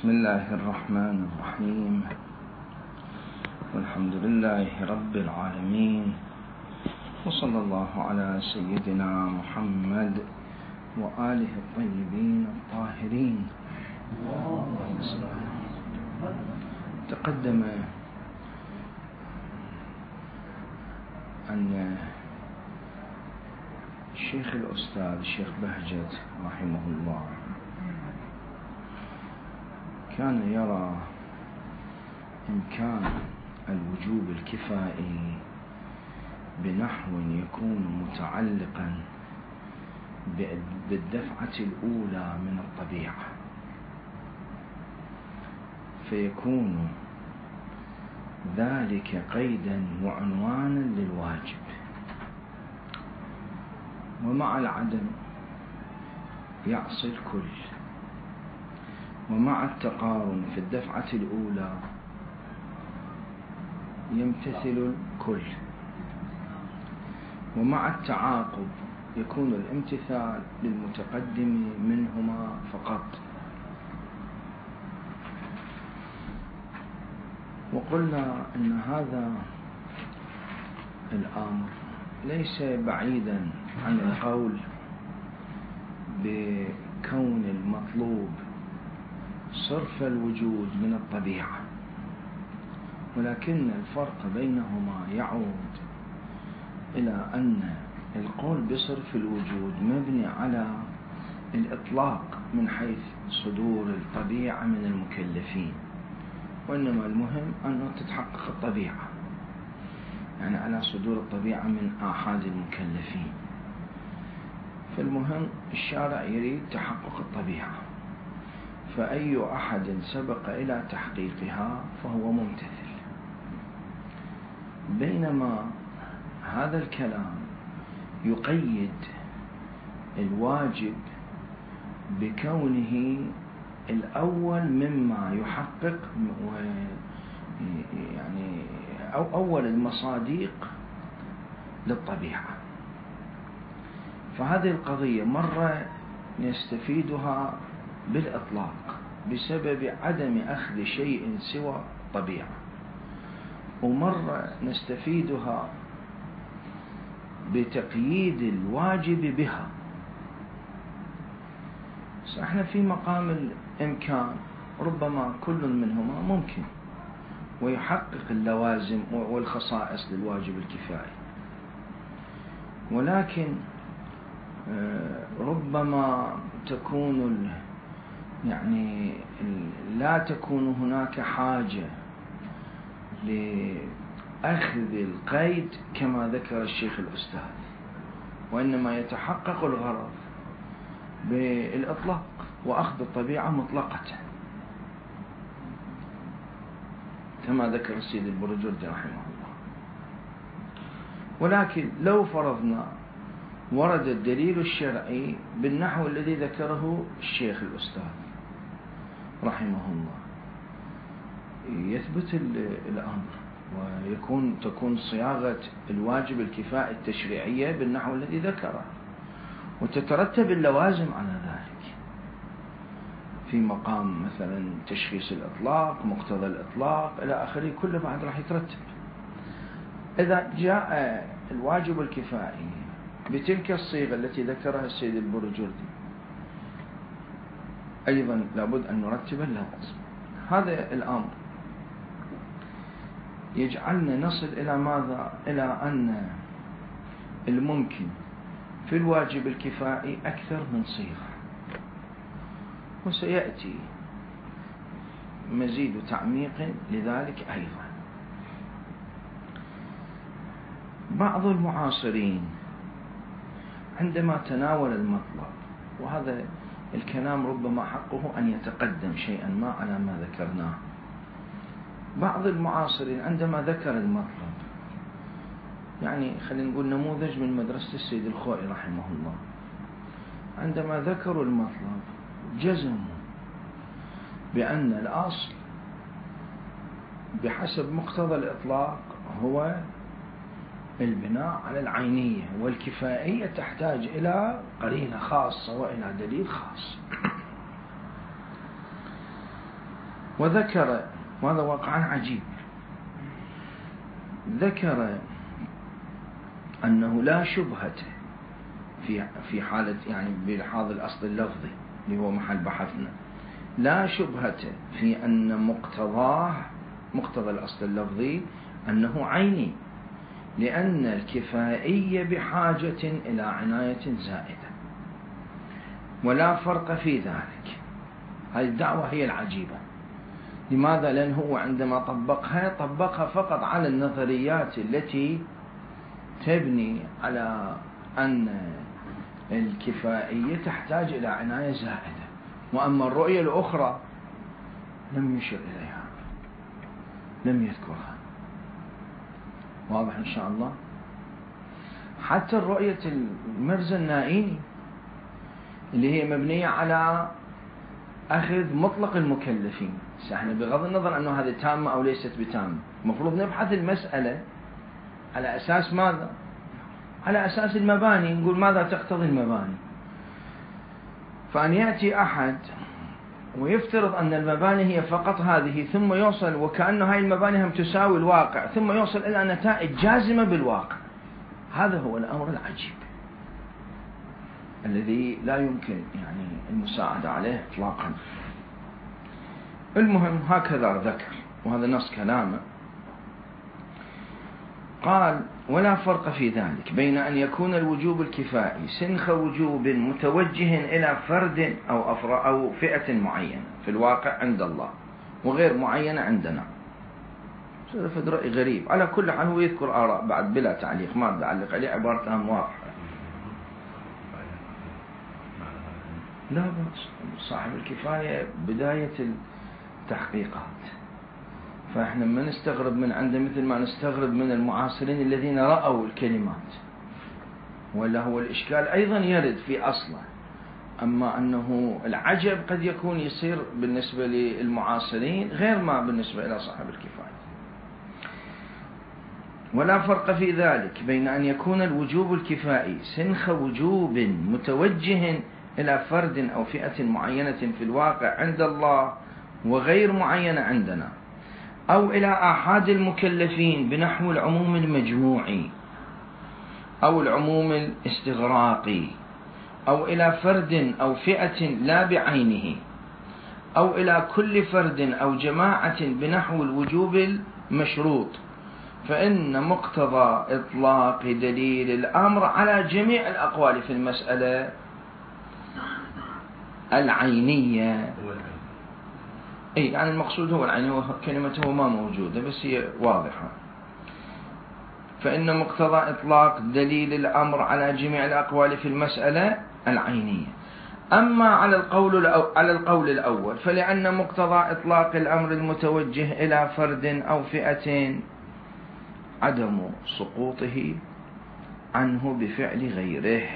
بسم الله الرحمن الرحيم، والحمد لله رب العالمين، وصلى الله على سيدنا محمد وآله الطيبين الطاهرين. تقدم أن الشيخ الأستاذ الشيخ بهجت رحمه الله كان يرى إمكان الوجوب الكفائي بنحو يكون متعلقا بالدفعة الأولى من الطبيعة، فيكون ذلك قيدا وعنوانا للواجب، ومع العدم يعصي الكل، ومع التقارن في الدفعة الأولى يمتثل الكل، ومع التعاقب يكون الامتثال للمتقدم منهما فقط. وقلنا أن هذا الأمر ليس بعيدا عن القول بكون المطلوب صرف الوجود من الطبيعة، ولكن الفرق بينهما يعود إلى أن القول بصرف الوجود مبني على الإطلاق من حيث صدور الطبيعة من المكلفين، وإنما المهم أن تتحقق الطبيعة، يعني على صدور الطبيعة من آحاد المكلفين. فالمهم الشارع يريد تحقق الطبيعة، فأي أحد سبق إلى تحقيقها فهو ممتثل، بينما هذا الكلام يقيد الواجب بكونه الأول مما يحقق، يعني أول المصادق للطبيعة. فهذه القضية مرة نستفيدها بالإطلاق بسبب عدم أخذ شيء سوى الطبيعة، ومرة نستفيدها بتقييد الواجب بها. احنا في مقام الإمكان ربما كل منهما ممكن ويحقق اللوازم والخصائص للواجب الكفائي، ولكن ربما تكون يعني لا تكون هناك حاجة لأخذ القيد كما ذكر الشيخ الأستاذ، وإنما يتحقق الغرض بالإطلاق وأخذ الطبيعة مطلقة كما ذكر السيد البرجردي رحمه الله. ولكن لو فرضنا ورد الدليل الشرعي بالنحو الذي ذكره الشيخ الأستاذ رحمه الله يثبت الأمر، تكون صياغة الواجب الكفائي التشريعية بالنحو الذي ذكره، وتترتب اللوازم على ذلك في مقام مثلا تشخيص الإطلاق، مقتضى الإطلاق إلى آخره، كله بعد راح يترتب. إذا جاء الواجب الكفائي بتلك الصيغة التي ذكرها السيد البرجردي أيضا لابد أن نرتب اللوازم. هذا الأمر يجعلنا نصل إلى ماذا؟ إلى أن الممكن في الواجب الكفائي أكثر من صيغة، وسيأتي مزيد تعميق لذلك أيضا. بعض المعاصرين عندما تناول المطلب، وهذا الكلام ربما حقه أن يتقدم شيئا ما على ما ذكرناه، بعض المعاصرين عندما ذكر المطلب، يعني خلينا نقول نموذج من مدرسة السيد الخوئي رحمه الله، عندما ذكروا المطلب جزموا بأن الأصل بحسب مقتضى الإطلاق هو البناء على العينية، والكفائية تحتاج إلى قرينة خاصة وإلى دليل خاص. وذكر، وهذا واقعا عجيب، ذكر أنه لا شبهة في حالة يعني بلحاظ الأصل اللفظي اللي هو محل بحثنا، لا شبهة في أن مقتضى الأصل اللفظي أنه عيني، لأن الكفائية بحاجة إلى عناية زائدة، ولا فرق في ذلك. هذه الدعوة هي العجيبة. لماذا؟ لأن هو عندما طبقها فقط على النظريات التي تبني على أن الكفائية تحتاج إلى عناية زائدة، وأما الرؤية الأخرى لم يشر إليها، لم يذكرها. واضح إن شاء الله؟ حتى الرؤية المرزا النائيني اللي هي مبنية على أخذ مطلق المكلفين، احنا بغض النظر أنه هذه تامة أو ليست بتامة، المفروض نبحث المسألة على أساس ماذا؟ على أساس المباني، نقول ماذا تقتضي المباني. فأن يأتي أحد ويفترض أن المباني هي فقط هذه، ثم يوصل وكأنه هاي المباني هم تساوي الواقع، ثم يوصل إلى نتائج جازمة بالواقع، هذا هو الأمر العجيب الذي لا يمكن يعني المساعدة عليه إطلاقا. المهم هكذا ذكر، وهذا نص كلامه، قال: ولا فرق في ذلك بين أن يكون الوجوب الكفائي سنخ وجوب متوجه إلى فرد أو فئة معينة في الواقع عند الله وغير معينة عندنا. هذا رأي غريب. على كل حال هو يذكر آراء بعد بلا تعليق، ما تعلق عليه، عبارتها واضحة. لا بأس، صاحب الكفاية بداية التحقيقات، فإحنا ما نستغرب من عنده مثل ما نستغرب من المعاصرين الذين رأوا الكلمات، ولا هو الإشكال أيضا يرد في أصله. أما أنه العجب قد يكون يصير بالنسبة للمعاصرين غير ما بالنسبة إلى صاحب الكفاية. ولا فرق في ذلك بين أن يكون الوجوب الكفائي سنخ وجوب متوجه إلى فرد أو فئة معينة في الواقع عند الله وغير معينة عندنا، أو إلى آحاد المكلفين بنحو العموم المجموعي أو العموم الاستغراقي، أو إلى فرد أو فئة لا بعينه، أو إلى كل فرد أو جماعة بنحو الوجوب المشروط، فإن مقتضى إطلاق دليل الأمر على جميع الأقوال في المسألة العينية. يعني المقصود هو العين، كلمته ما موجودة بس هي واضحة. فإن مقتضى إطلاق دليل الأمر على جميع الأقوال في المسألة العينية. أما على القول الأول فلأن مقتضى إطلاق الأمر المتوجه إلى فرد أو فئة عدم سقوطه عنه بفعل غيره،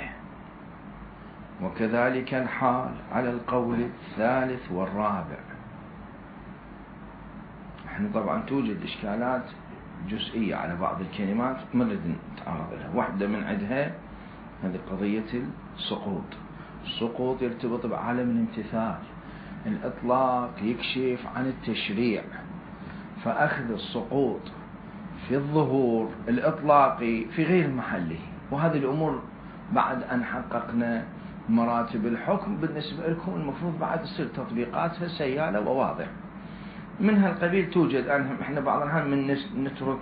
وكذلك الحال على القول الثالث والرابع. احنا طبعا توجد إشكالات جزئية على بعض الكلمات ما نريد نتعرض لها. واحدة من عندها هذه قضية السقوط. السقوط يرتبط بعالم الامتثال، الإطلاق يكشف عن التشريع، فأخذ السقوط في الظهور الإطلاقي في غير محله. وهذه الأمور بعد أن حققنا مراتب الحكم بالنسبة لكم المفروض بعد تصير تطبيقاتها سيالة وواضحة. من هالقبيل توجد. احنا بعض الأحيان من نترك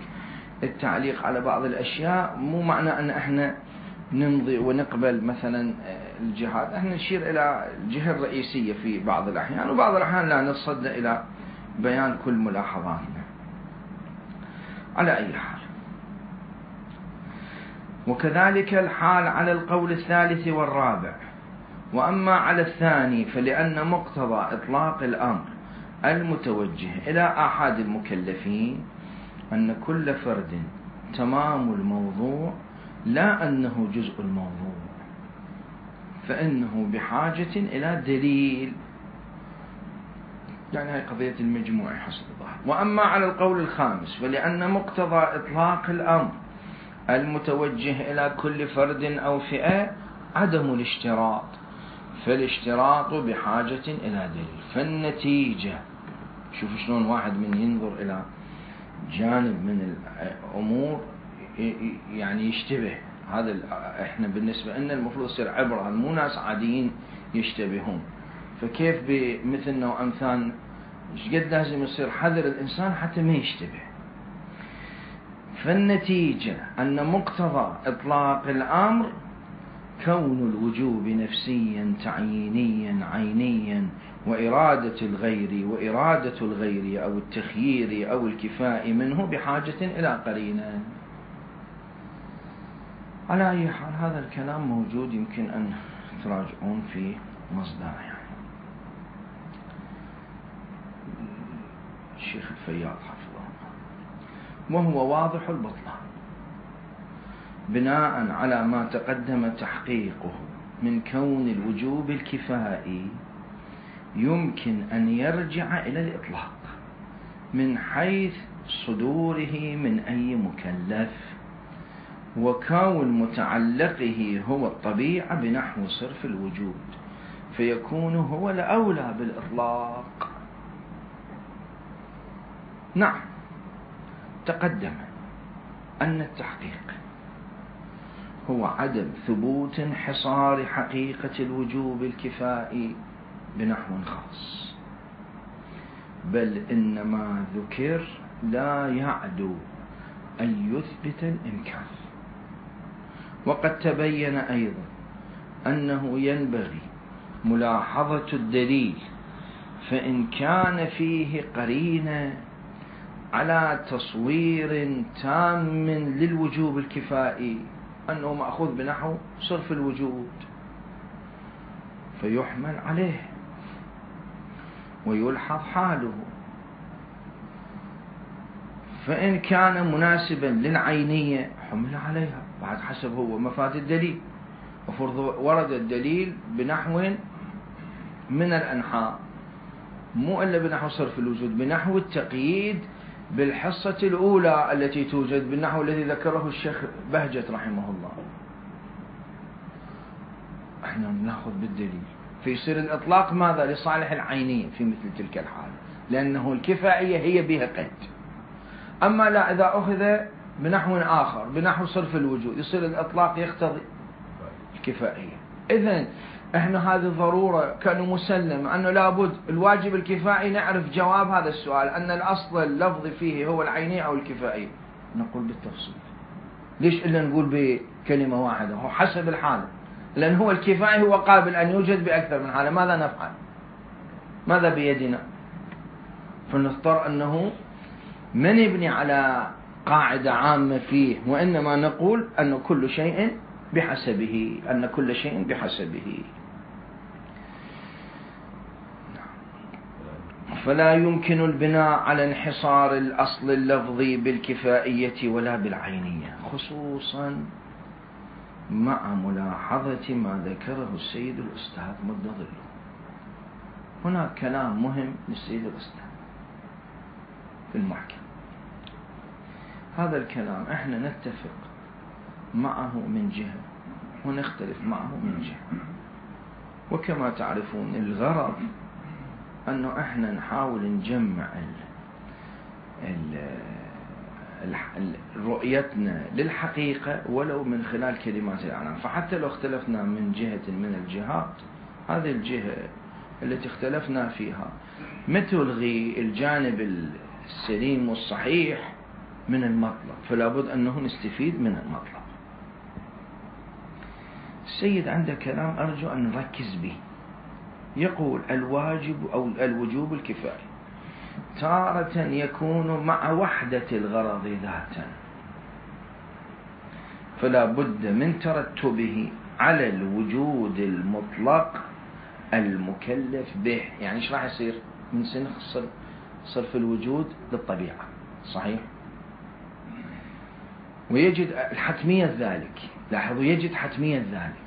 التعليق على بعض الأشياء، مو معنى أن احنا نمضي ونقبل مثلا الجهات، احنا نشير إلى الجهة الرئيسية في بعض الأحيان، وبعض الأحيان لا نتصدى إلى بيان كل ملاحظاتنا. على أي حال، وكذلك الحال على القول الثالث والرابع. وأما على الثاني فلأن مقتضى إطلاق الأمر المتوجه إلى آحاد المكلفين أن كل فرد تمام الموضوع لا أنه جزء الموضوع، فإنه بحاجة إلى دليل، يعني هي قضية المجموع حسب الظاهر. وأما على القول الخامس فلأن مقتضى إطلاق الأمر المتوجه إلى كل فرد أو فئة عدم الاشتراط، فالاشتراط بحاجة إلى دليل. فالنتيجة شوف شلون واحد من ينظر إلى جانب من الأمور يعني يشتبه. هذا احنا بالنسبة لنا المفروض يصير عبرة، مو ناس عاديين يشتبهون. فكيف بمثلنا وأمثالنا شقد لازم يصير حذر الإنسان حتى ما يشتبه. فالنتيجة أن مقتضى إطلاق الأمر كون الوجوب نفسيا تعيينيا عينيا، وإرادة الغير أو التخيير أو الكفاء منه بحاجة إلى قرينة. على أي حال هذا الكلام موجود، يمكن أن تراجعون في مصدره يعني. الشيخ الفياض حفظه الله. وهو واضح البطلان بناء على ما تقدم تحقيقه من كون الوجوب الكفائي يمكن أن يرجع إلى الإطلاق من حيث صدوره من أي مكلف، وكون متعلقه هو الطبيعة بنحو صرف الوجود، فيكون هو الأولى بالإطلاق. نعم، تقدم أن التحقيق هو عدم ثبوت انحصار حقيقة الوجوب الكفائي بنحو خاص، بل إنما ذكر لا يعدو أن يثبت الإمكان. وقد تبين أيضا أنه ينبغي ملاحظة الدليل، فإن كان فيه قرينة على تصوير تام للوجوب الكفائي أنه مأخوذ بنحو صرف الوجود فيحمل عليه ويلحظ حاله. فإن كان مناسبا للعينية حمل عليها بعد حسب هو مفاد الدليل. وفرض ورد الدليل بنحو من الأنحاء، مو إلا بنحو صرف الوجود، بنحو التقييد بالحصة الأولى التي توجد بالنحو الذي ذكره الشيخ بهجت رحمه الله. احنا نأخذ بالدليل فيصير الإطلاق ماذا؟ لصالح العينية في مثل تلك الحالة، لأنه الكفائية هي بها قيد. أما لا، إذا أخذ بنحو آخر بنحو صرف الوجود يصير الإطلاق يقتضي الكفائية. إذن احنا هذه الضرورة كانوا مسلم أنه لابد الواجب الكفائي نعرف جواب هذا السؤال، أن الأصل اللفظ فيه هو العينية أو الكفائية. نقول بالتفصيل. ليش إلا نقول بكلمة واحدة؟ هو حسب الحالة، لأن هو الكفائي هو قابل أن يوجد بأكثر من حالة. ماذا نفعل؟ ماذا بيدنا؟ فنضطر أنه ما نبني على قاعدة عامة فيه، وإنما نقول أن كل شيء بحسبه، أن كل شيء بحسبه. فلا يمكن البناء على انحصار الأصل اللفظي بالكفائية ولا بالعينية، خصوصا مع ملاحظة ما ذكره السيد الأستاذ مد ظله. هناك كلام مهم للسيد الأستاذ في المحكم. هذا الكلام احنا نتفق معه من جهة ونختلف معه من جهة. وكما تعرفون الغرض أنه احنا نحاول نجمع رؤيتنا للحقيقة ولو من خلال كلمات الإعلام. فحتى لو اختلفنا من جهة من الجهات، هذه الجهة التي اختلفنا فيها ما تلغي الجانب السليم والصحيح من المطلب، فلا بد أنه نستفيد من المطلب. السيد عنده كلام أرجو أن نركز به. يقول الواجب أو الوجوب الكفائي تارة يكون مع وحدة الغرض ذاتا، فلا بد من ترتبه على الوجود المطلق المكلف به. يعني ايش راح يصير؟ من سنخ صرف الوجود للطبيعة، صحيح؟ ويجد حتمية ذلك. لاحظوا، يجد حتمية ذلك.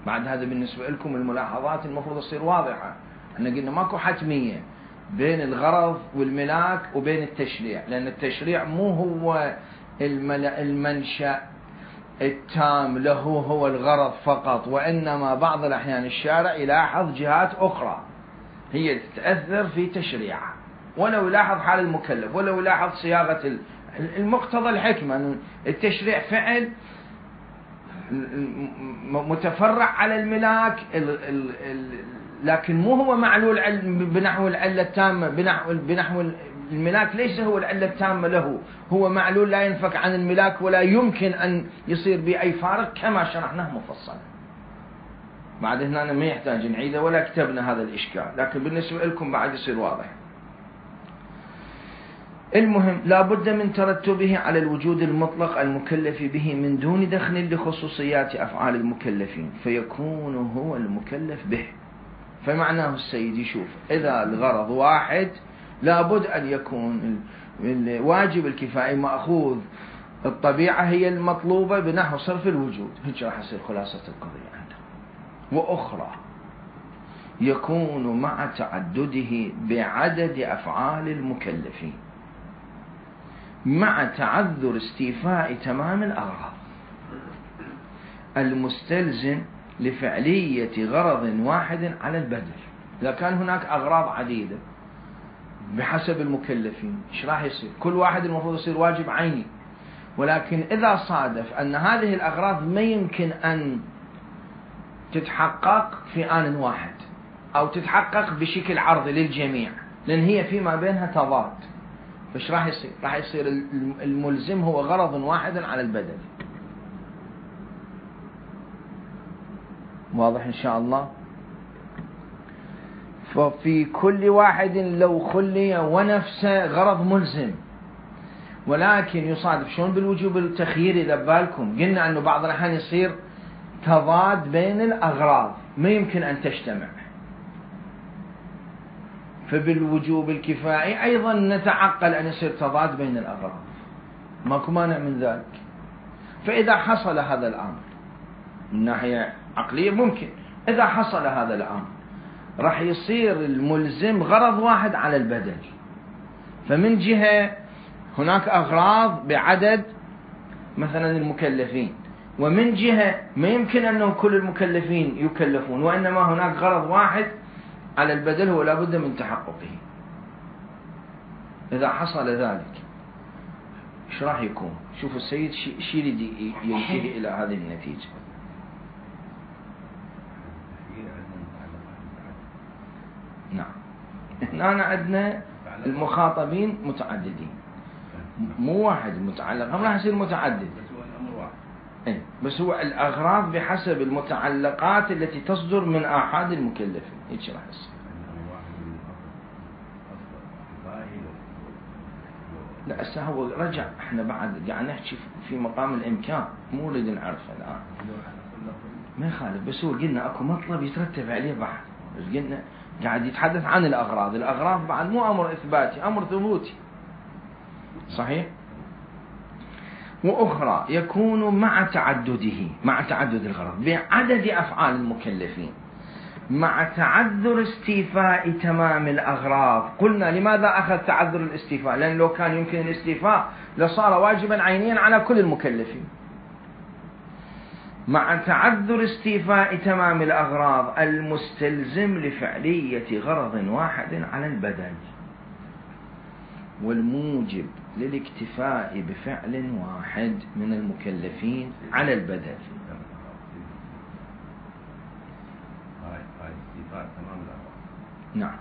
بعد هذا بالنسبة لكم الملاحظات المفروض تصير واضحة. احنا قلنا ماكو حتمية بين الغرض والملاك وبين التشريع، لأن التشريع مو هو المنشأ التام له، هو الغرض فقط، وإنما بعض الأحيان الشارع يلاحظ جهات أخرى هي تتأثر في تشريعها، ولو يلاحظ حال المكلف، ولو يلاحظ صياغة المقتضى الحكمة أن التشريع فعل متفرع على الملاك، لكن مو هو معلول بنحو العلة التامة، بنحو الملاك ليس هو العلة التامة له، هو معلول لا ينفك عن الملاك ولا يمكن أن يصير بأي فارق كما شرحناه مفصلا. بعد هنا ما يحتاج نعيده ولا كتبنا هذا الإشكال، لكن بالنسبة لكم بعد يصير واضح. المهم لا بد من ترتبه على الوجود المطلق المكلف به من دون دخل لخصوصيات أفعال المكلفين، فيكون هو المكلف به. فمعناه السيد يشوف إذا الغرض واحد لا بد أن يكون الواجب الكفائي مأخوذ الطبيعة هي المطلوبة بنحو صرف الوجود. هيك راح يصير خلاصة القضية عنده. وأخرى يكون مع تعدده بعدد أفعال المكلفين مع تعذر استيفاء تمام الأغراض المستلزم لفعلية غرض واحد على البدل. إذا كان هناك أغراض عديدة بحسب المكلفين إيش راح يصير؟ كل واحد المفروض يصير واجب عيني، ولكن إذا صادف أن هذه الأغراض ما يمكن أن تتحقق في آن واحد أو تتحقق بشكل عرضي للجميع لأن هي فيما بينها تضاد، فإيش راح يصير؟ راح يصير الملزم هو غرض واحد على البدل. واضح إن شاء الله؟ ففي كل واحد لو خلي ونفسه غرض ملزم، ولكن يصادف شلون بالوجوب التخييري إذا بالكم قلنا أنه بعض الأحيان يصير تضاد بين الأغراض ما يمكن أن تجتمع، فبالوجوب الكفائي أيضا نتعقل أن يصير تضاد بين الأغراض، ماكو مانع من ذلك. فإذا حصل هذا الأمر من ناحية عقلية ممكن، إذا حصل هذا الأمر راح يصير الملزم غرض واحد على البدل. فمن جهة هناك أغراض بعدد مثلا المكلفين، ومن جهة ما يمكن أنه كل المكلفين يكلفون، وإنما هناك غرض واحد على البدل هو لابد من تحققه. إذا حصل ذلك إيش راح يكون؟ شوفوا السيد شي ينتهي إلى هذه النتيجة. نعم، هنا عندنا المخاطبين متعددين، مو واحد المتعلق، هم راح يصير متعدد بس هو الأغراض بحسب المتعلقات التي تصدر من آحاد المكلفين. هيك راح يصير. لا هسه هو رجع، احنا بعد قاعد نحكي في مقام الإمكان، مو نريد نعرفه الآن، ما يخالف، بس هو قلنا اكو مطلب يترتب عليه بعد، بس قلنا قاعد يتحدث عن الأغراض. الأغراض بعد مو أمر إثباتي، أمر ثبوتي، صحيح. وأخرى يكون مع تعدده، مع تعدد الغرض بعدد أفعال المكلفين مع تعذر استيفاء تمام الأغراض. قلنا لماذا أخذ تعذر الاستيفاء؟ لأن لو كان يمكن الاستيفاء لصار واجبا عينيا على كل المكلفين. مع تعذر استيفاء تمام الأغراض المستلزم لفعلية غرض واحد على البدل، والموجب للاكتفاء بفعل واحد من المكلفين على البدل. نعم.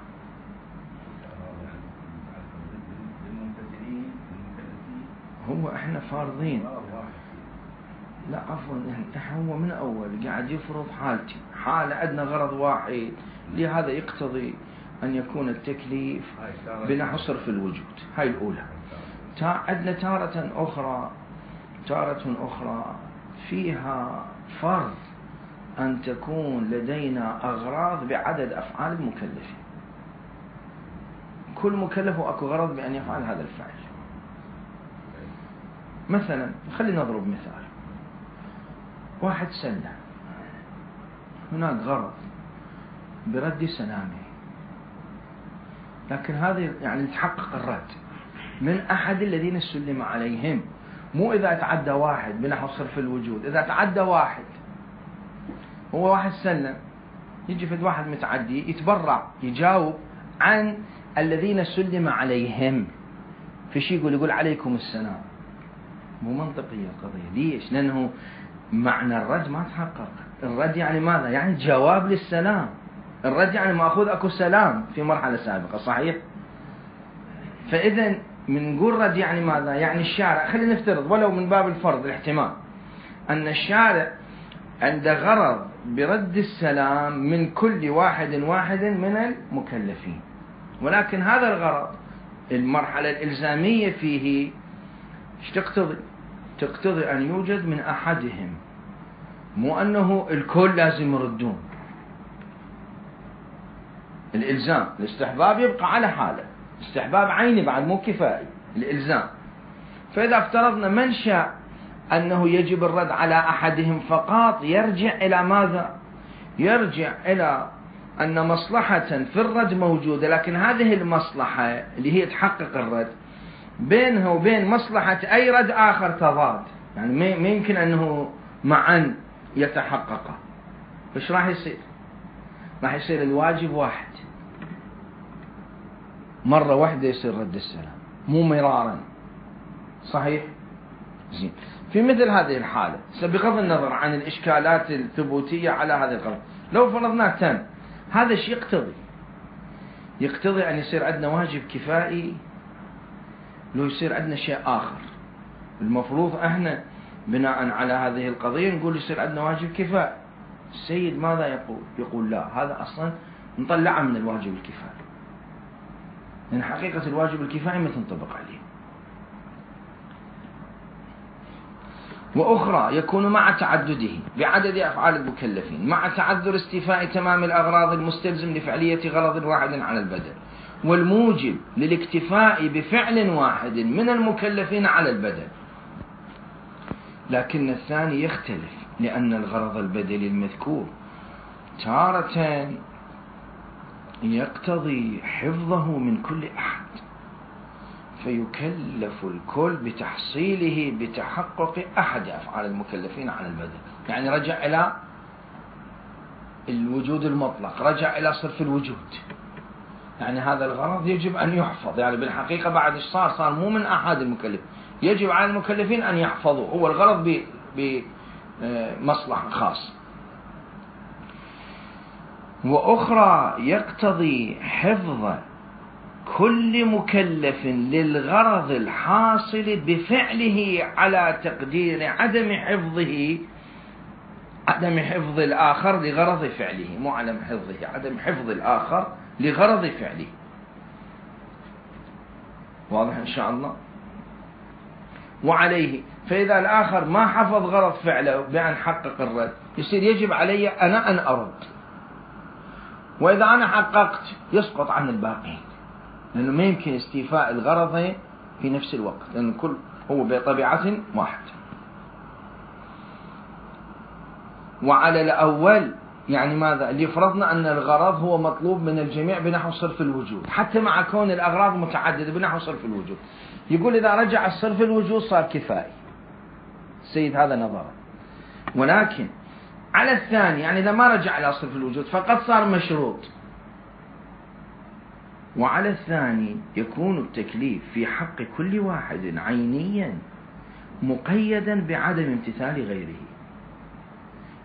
هو احنا فارضين، لا عفوا، هو من أول قاعد يفرض حالتي، حالة عندنا غرض واحد، لهذا يقتضي أن يكون التكليف بنحو صرف الوجود. هاي الأولى. عندنا تارة أخرى فيها فرض أن تكون لدينا أغراض بعدد أفعال المكلفين، كل مكلف أكو غرض بأن يفعل هذا الفعل. مثلا خلينا نضرب مثال، واحد سلة، هناك غرض برد سلامه، لكن هذا يعني يتحقق الرد من أحد الذين سلم عليهم، مو إذا تعدى واحد بنحو صرف الوجود. إذا تعدى واحد، هو واحد سلم يجي فد واحد متعدي يتبرع يجاوب عن الذين سلم عليهم، في شيء يقول عليكم السلام. مو منطقية القضية. ليش؟ لأنه معنى الرد ما تحقق. الرد يعني ماذا؟ يعني جواب للسلام. الرد يعني مأخوذ أكو سلام في مرحلة سابقة، صحيح؟ فإذا من نقول رد يعني ماذا؟ يعني الشارع، خلينا نفترض ولو من باب الفرض الاحتمال أن الشارع عنده غرض برد السلام من كل واحد من المكلفين، ولكن هذا الغرض المرحلة الإلزامية فيه ايش تقتضي؟ تقتضي أن يوجد من أحدهم، مو أنه الكل لازم يردون. الإلزام، الاستحباب يبقى على حاله، استحباب عيني بعد مو كفائي، الإلزام. فإذا افترضنا من شاء أنه يجب الرد على أحدهم فقط، يرجع إلى ماذا؟ يرجع إلى أن مصلحة في الرد موجودة، لكن هذه المصلحة اللي هي تحقق الرد بينها وبين مصلحة أي رد آخر تضاد، يعني ما يمكن أنه معا يتحقق. إيش راح يصير؟ راح يصير الواجب واحد، مرة واحدة يصير رد السلام، مو مرارا، صحيح؟ زين. في مثل هذه الحالة بغض النظر عن الإشكالات الثبوتية على هذه القضية، لو فرضنا تم هذا الشيء يقتضي أن يصير عندنا واجب كفائي، لو يصير عندنا شيء آخر. المفروض احنا بناء على هذه القضية نقول يصير عندنا واجب كفائي. السيد ماذا يقول لا، هذا أصلا نطلعه من الواجب الكفائي، لأن حقيقة الواجب الكفائي ما تنطبق عليه. وأخرى يكون مع تعدده بعدد أفعال المكلفين، مع تعذر استيفاء تمام الأغراض المستلزم لفعلية غرض واحد على البدن، والموجب للاكتفاء بفعل واحد من المكلفين على البدن. لكن الثاني يختلف، لأن الغرض البدني المذكور تارة يقتضي حفظه من كل أحد، فيكلف الكل بتحصيله بتحقق أحد أفعال المكلفين على البدن. يعني رجع إلى الوجود المطلق، رجع إلى صرف الوجود، يعني هذا الغرض يجب أن يحفظ. يعني بالحقيقة بعد إيش صار مو من أحد المكلف، يجب على المكلفين أن يحفظوا، هو الغرض بمصلحة خاصة. وأخرى يقتضي حفظ كل مكلف للغرض الحاصل بفعله على تقدير عدم حفظ الآخر لغرض فعله، مو عدم حفظه، عدم حفظ الآخر لغرض فعله. واضح إن شاء الله؟ وعليه، فإذا الآخر ما حفظ غرض فعله بأن حقق الرد، يصير يجب علي أنا أن أرد، وإذا أنا حققت يسقط عن الباقين، لأنه ما يمكن استيفاء الغرض في نفس الوقت، لأن الكل هو بطبيعة واحدة. وعلى الأول يعني ماذا؟ اللي فرضنا أن الغرض هو مطلوب من الجميع بنحو صرف الوجود، حتى مع كون الأغراض متعددة بنحو صرف الوجود، يقول إذا رجع الصرف الوجود صار كفائي. السيد هذا نظره. ولكن على الثاني يعني إذا ما رجع إلى صرف الوجود فقد صار مشروط. وعلى الثاني يكون التكليف في حق كل واحد عينيا مقيدا بعدم امتثال غيره،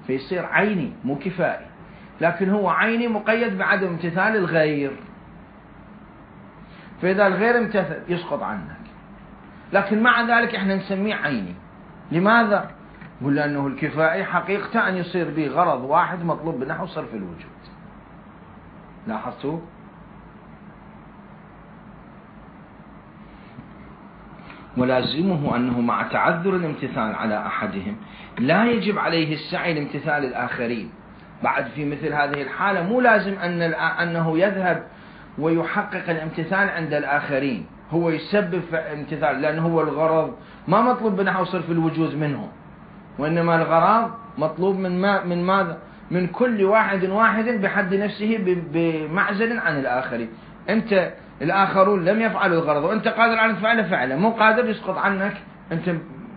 فيصير عيني مو كفائي، لكن هو عيني مقيد بعدم امتثال الغير، فإذا الغير امتثل يسقط عنك، لكن مع ذلك احنا نسميه عيني. لماذا؟ قل لأنه الكفائي حقيقة أن يصير به غرض واحد مطلوب بنحو صرف الوجود. لاحظتوا؟ ولازمه أنه مع تعذر الامتثال على أحدهم لا يجب عليه السعي لامتثال الآخرين. بعد في مثل هذه الحالة مو لازم أنه يذهب ويحقق الامتثال عند الآخرين، هو يسبب امتثال، لأنه هو الغرض ما مطلوب بنحو صرف الوجود منه، وإنما الغرض مطلوب من ماذا؟ من كل واحد بحد نفسه بمعزل عن الآخرين. أنت الآخرون لم يفعلوا الغرض وأنت قادر على فعله، مو قادر يسقط عنك، أنت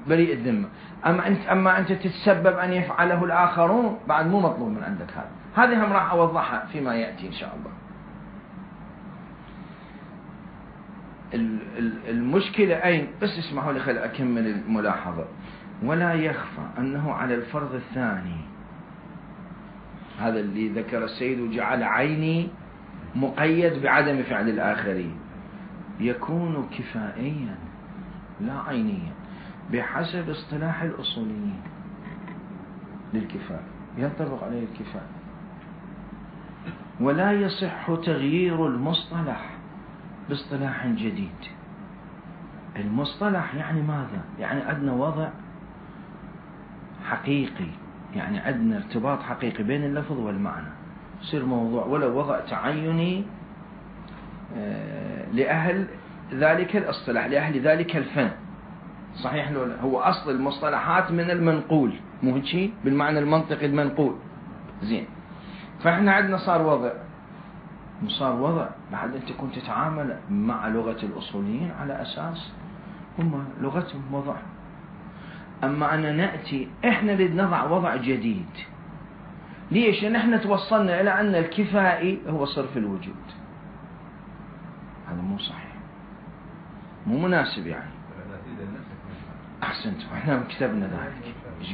بريء الذمة. أما أنت تتسبب أن يفعله الآخرون بعد مو مطلوب من عندك هذه هم راح أوضحها فيما يأتي إن شاء الله. المشكلة أين؟ بس اسمحوا لي خل أكمل الملاحظة. ولا يخفى أنه على الفرض الثاني، هذا اللي ذكر السيد وجعل عيني مقيد بعدم فعل الآخرين، يكون كفائيا لا عينيا بحسب اصطلاح الأصوليين للكفاءة، ينطبق عليه الكفاءة. ولا يصح تغيير المصطلح باصطلاح جديد. المصطلح يعني ماذا؟ يعني عندنا وضع حقيقي، يعني عندنا ارتباط حقيقي بين اللفظ والمعنى، يصير موضوع ولا وضع تعيني لأهل ذلك الاصطلاح، لأهل ذلك الفن. صحيح لولا؟ هو أصل المصطلحات من المنقول، مو هيك بالمعنى المنطقي المنقول. زين، فإحنا عندنا صار وضع بعد أنت كنت تتعامل مع لغة الأصوليين على أساس هم لغتهم وضع. أما أن نأتي إحنا نضع وضع جديد. ليش؟ لأن إحنا توصلنا إلى أن الكفائي هو صرف الوجود. هذا مو صحيح، مو مناسب. يعني أحسنت، وإحنا كتبنا ذلك. إيش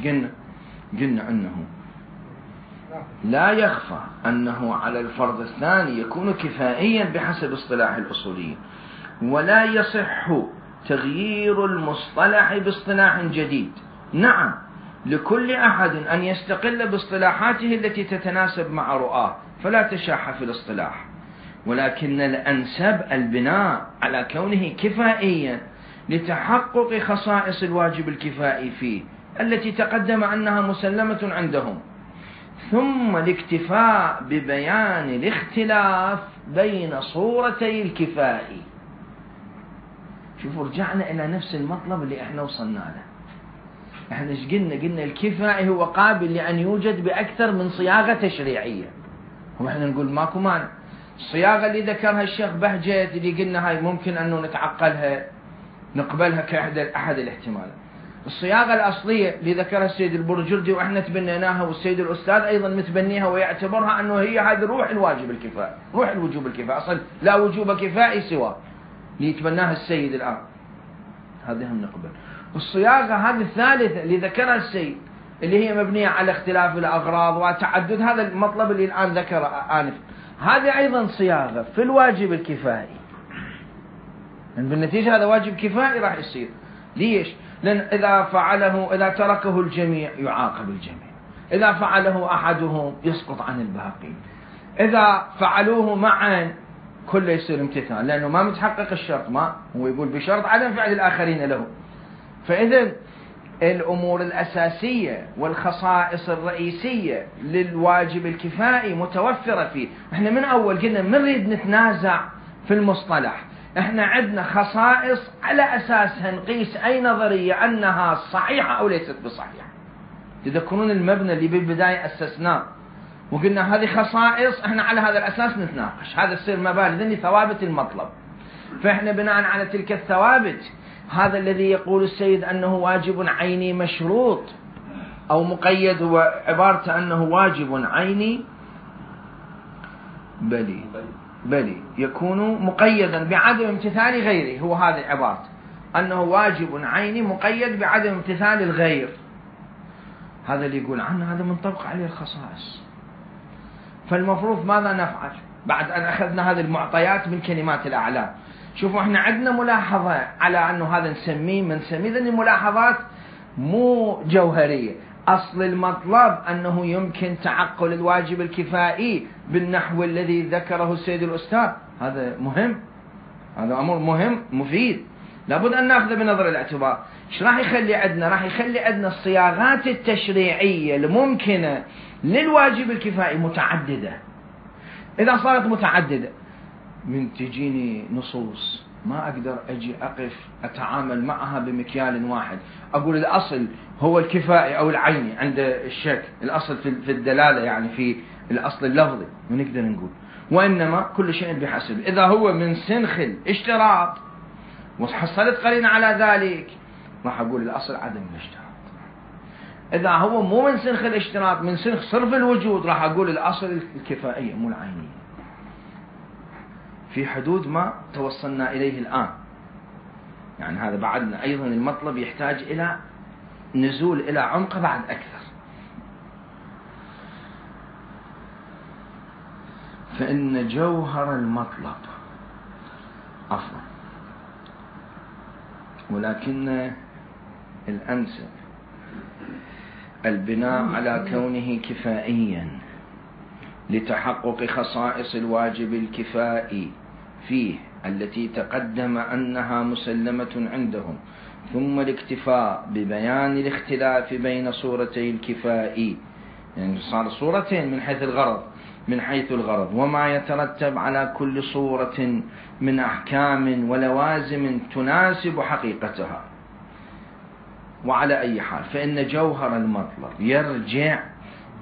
قلنا أنه لا يخفى أنه على الفرض الثاني يكون كفائيا بحسب اصطلاح الأصوليين. ولا يصح تغيير المصطلح باصطلاح جديد. نعم، لكل أحد أن يستقل باصطلاحاته التي تتناسب مع رؤاه، فلا تشاح في الاصطلاح، ولكن الأنسب البناء على كونه كفائيا لتحقق خصائص الواجب الكفائي فيه التي تقدم أنها مسلمة عندهم، ثم الاكتفاء ببيان الاختلاف بين صورتي الكفاء. شوفوا، رجعنا إلى نفس المطلب اللي احنا وصلنا له. احنا ايش قلنا الكفاء هو قابل لأن يوجد بأكثر من صياغة تشريعية. واحنا نقول ماكو مانع. الصياغة اللي ذكرها الشيخ بهجت اللي قلنا هاي ممكن أنه نتعقلها نقبلها كأحد الاحتمالات. الصياغة الأصلية اللي ذكرها السيد البرجردي وإحنا تبنيناها، والسيد الأستاذ أيضا متبنيها ويعتبرها أنه هي هذه روح الواجب الكفاء، روح الوجوب الكفاء، أصلا لا وجوب كفائي سوى اللي يتبناها السيد الآن، هذه هم نقبل. الصياغة هذه الثالثة اللي ذكرها السيد اللي هي مبنية على اختلاف الأغراض وتعدد هذا المطلب اللي الآن ذكره آنف، هذه أيضا صياغة في الواجب الكفائي. بالنتيجة هذا واجب كفائي راح يصير. ليش؟ لأن إذا تركه الجميع يعاقب الجميع، إذا فعله أحدهم يسقط عن الباقين، إذا فعلوه معا كله يصير امتثال، لأنه ما متحقق الشرط، ما هو يقول بشرط عدم فعل الآخرين له. فإذا الأمور الأساسية والخصائص الرئيسية للواجب الكفائي متوفرة فيه. احنا من أول قلنا من نريد نتنازع في المصطلح، احنا عندنا خصائص على أساسها نقيس أي نظرية أنها صحيحة أو ليست بصحيحة. تذكرون المبنى اللي بالبداية أسسناه وقلنا هذه خصائص، احنا على هذا الأساس نتناقش، هذا السير مبادئ ذني ثوابت المطلب. فاحنا بناء على تلك الثوابت، هذا الذي يقول السيد أنه واجب عيني مشروط أو مقيد، هو عبارته أنه واجب عيني بلي يكون مقيدا بعدم امتثال غيره. هو هذه عبارته أنه واجب عيني مقيد بعدم امتثال الغير. هذا اللي يقول عنه هذا منطبق عليه الخصائص. فالمفروض ماذا نفعل بعد أن أخذنا هذه المعطيات من كلمات الأعلام؟ شوفوا، احنا عندنا ملاحظة على أنه هذا نسميه ذني الملاحظات مو جوهرية. أصل المطلب أنه يمكن تعقل الواجب الكفائي بالنحو الذي ذكره السيد الأستاذ. هذا مهم، هذا أمر مهم مفيد، لابد أن نأخذ بنظر الاعتبار. ايش راح يخلي عندنا؟ راح يخلي عندنا الصياغات التشريعية الممكنة للواجب الكفائي متعددة. إذا صارت متعددة من تجيني نصوص ما أقدر أجي أقف أتعامل معها بمكيال واحد، أقول الأصل هو الكفائي أو العيني عند الشك، الأصل في الدلالة يعني في الأصل اللفظي، ونقدر نقول. وإنما كل شيء بحسب. إذا هو من سنخ الاشتراط وحصلت قرينة على ذلك راح أقول الأصل عدم الاشتراط. إذا هو مو من سنخ الاشتراط، من سنخ صرف الوجود، راح أقول الأصل الكفائية مو العينية، في حدود ما توصلنا إليه الآن. يعني هذا بعدنا أيضا المطلب يحتاج إلى نزول إلى عمق بعد أكثر. فإن جوهر المطلب عفوا، ولكن الأنسب البناء على كونه كفائيا لتحقق خصائص الواجب الكفائي فيه التي تقدم أنها مسلمة عندهم، ثم الاكتفاء ببيان الاختلاف بين صورتي الكفائي، يعني صار صورتين من حيث الغرض وما يترتب على كل صورة من أحكام ولوازم تناسب حقيقتها. وعلى أي حال فإن جوهر المطلب يرجع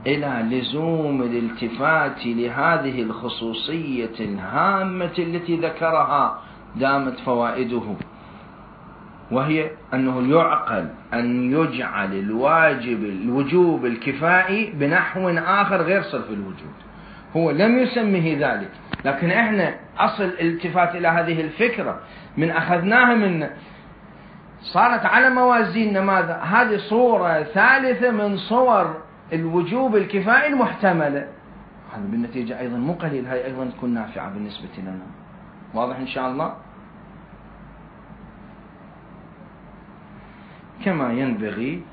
إلى لزوم الالتفات لهذه الخصوصية الهامة التي ذكرها دامت فوائده، وهي أنه يعقل أن يجعل الوجوب الكفائي بنحو آخر غير صرف الوجود. هو لم يسميه ذلك، لكن إحنا أصل الالتفات إلى هذه الفكرة من أخذناها من صارت على موازين ماذا؟ هذه صورة ثالثة من صور الوجوب الكفائي المحتملة. هذا بالنتيجة أيضا مو قليل، هاي أيضا تكون نافعة بالنسبة لنا. واضح إن شاء الله؟ كما ينبغي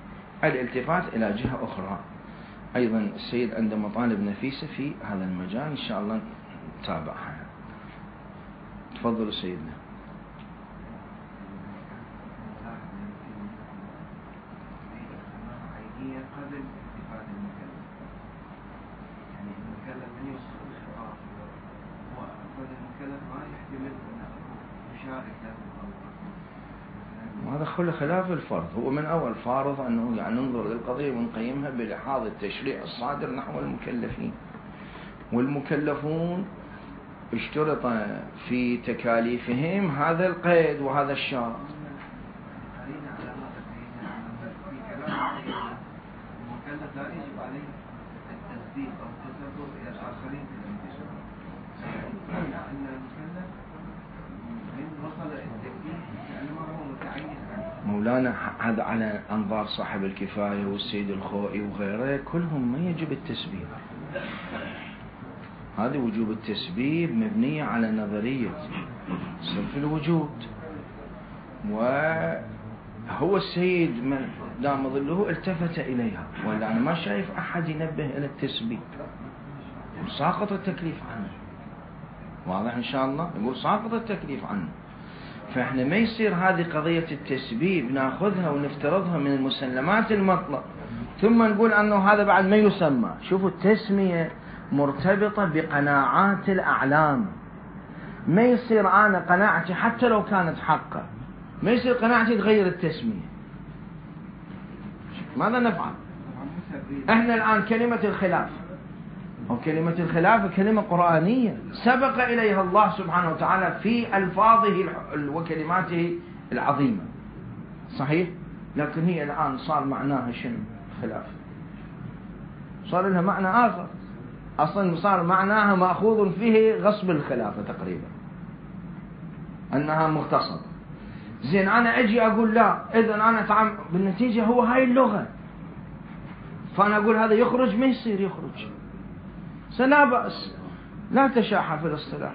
الالتفات إلى جهة أخرى أيضا. السيد عنده مطالب نفيسة في هذا المجال، إن شاء الله نتابعها. تفضل سيدنا. قبل اتفاق المكلف، يعني المكلف من يوصل الخطاب وأصلا المكلف ما يحتمل أنه يشارك له، وهذا خلاف الفرض. هو من أول فارض أنه يعني ننظر للقضية ونقيمها بلحاظ التشريع الصادر نحو المكلفين، والمكلفون اشترط في تكاليفهم هذا القيد وهذا الشرط. لا يجب عليه التسبيب أو التسبب إلى الآخرين في الانتشار، أن المكلف من وصل التكليف لأنه هو متعين عنه. مولانا هذا على أنظار صاحب الكفاية والسيد الخوئي وغيره كلهم ما يجب التسبيب. هذه وجوب التسبيب مبنية على نظرية صرف الوجود، وهو السيد من دام ظله التفت إليها، ولا أنا ما شايف أحد ينبه إلى التسبيب، ساقط التكليف عنه. واضح إن شاء الله؟ يقول ساقط التكليف عنه. فإحنا ما يصير هذه قضية التسبيب ناخذها ونفترضها من المسلمات المطلق ثم نقول أنه هذا بعد ما يسمى. شوفوا التسمية مرتبطة بقناعات الأعلام. ما يصير أنا قناعتي حتى لو كانت حقا، ما يصير قناعتي تغير التسمية. ماذا نفعل؟ احنا الآن كلمة الخلاف أو كلمة الخلاف كلمة قرآنية سبق إليها الله سبحانه وتعالى في ألفاظه وكلماته العظيمة، صحيح؟ لكن هي الآن صار معناها شنو؟ خلاف، صار لها معنى آخر. أصلا صار معناها مأخوذ فيه غصب الخلافة تقريبا، أنها مغتصبة. زين أنا أجي أقول لا، إذن أنا بالنتيجة هو هاي اللغة، فأنا أقول هذا يخرج، ما يصير يخرج. لا بأس، لا تشاحة في الاصطلاح.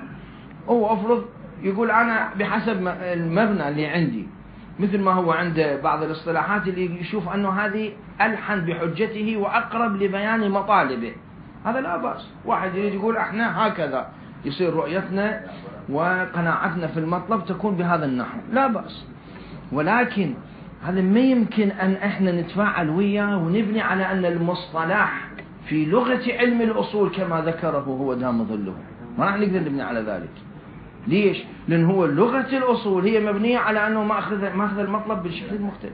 هو أفرض يقول أنا بحسب المبنى اللي عندي، مثل ما هو عند بعض الاصطلاحات اللي يشوف أنه هذه ألحن بحجته وأقرب لبيان مطالبه، هذا لا بأس. واحد يريد يقول احنا هكذا يصير رؤيتنا وقناعتنا في المطلب تكون بهذا النحو، لا بأس. ولكن هذا ما يمكن أن احنا نتفاعل وياه ونبني على أن المصطلح في لغة علم الأصول كما ذكره هو دام ظله. ما راح نقدر نبني على ذلك. ليش؟ لأن هو لغة الأصول هي مبنية على أنه ماخذ المطلب بالشكل المختلف.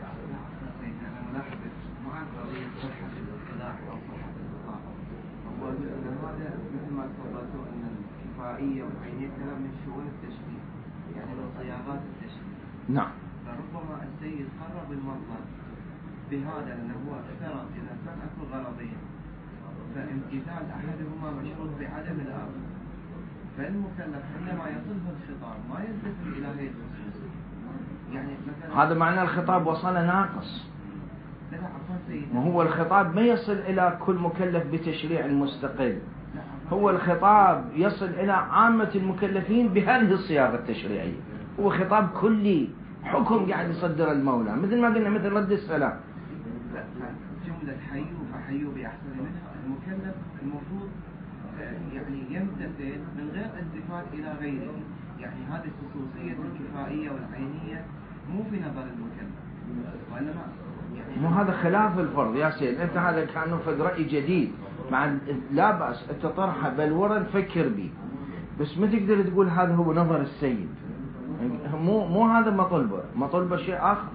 والعينية كلام من شؤون التشبيه، يعني من صياغات التشبيه. نعم. فربما السيد قرب المطلب بهذا لأنه هو افترض إذا كان أكو غرضين فامتثال أحدهما مشروط بعدم الآخر، فالمكلف عندما يصله الخطاب ما يلتفت إلى هذه الخصوصية. يعني مثلا هذا معنى الخطاب وصل ناقص. لا عفوا سيدي، ما هو الخطاب ما يصل إلى كل مكلف بتشريع مستقل، هو الخطاب يصل إلى عامة المكلفين بهذه الصياغة التشريعية، هو خطاب كلي، حكم قاعد يصدر المولى، مثل ما قلنا مثل رد السلام. جملة حيوا فحيوا بأحسن منها، المكلف المفروض يعني يمتثل من غير التفات إلى غيره، يعني هذه الخصوصية الكفائية والعينية مو في نظر المكلف، وإنما يعني مو هذا خلاف الفرض يا سيد، أنت هذا كأنه فد رأي جديد، مع لا بأس أنت طرحه بل ورا نفكر به، بس ما تقدر تقول هذا هو نظر السيد، مو هذا مطلبه شيء آخر.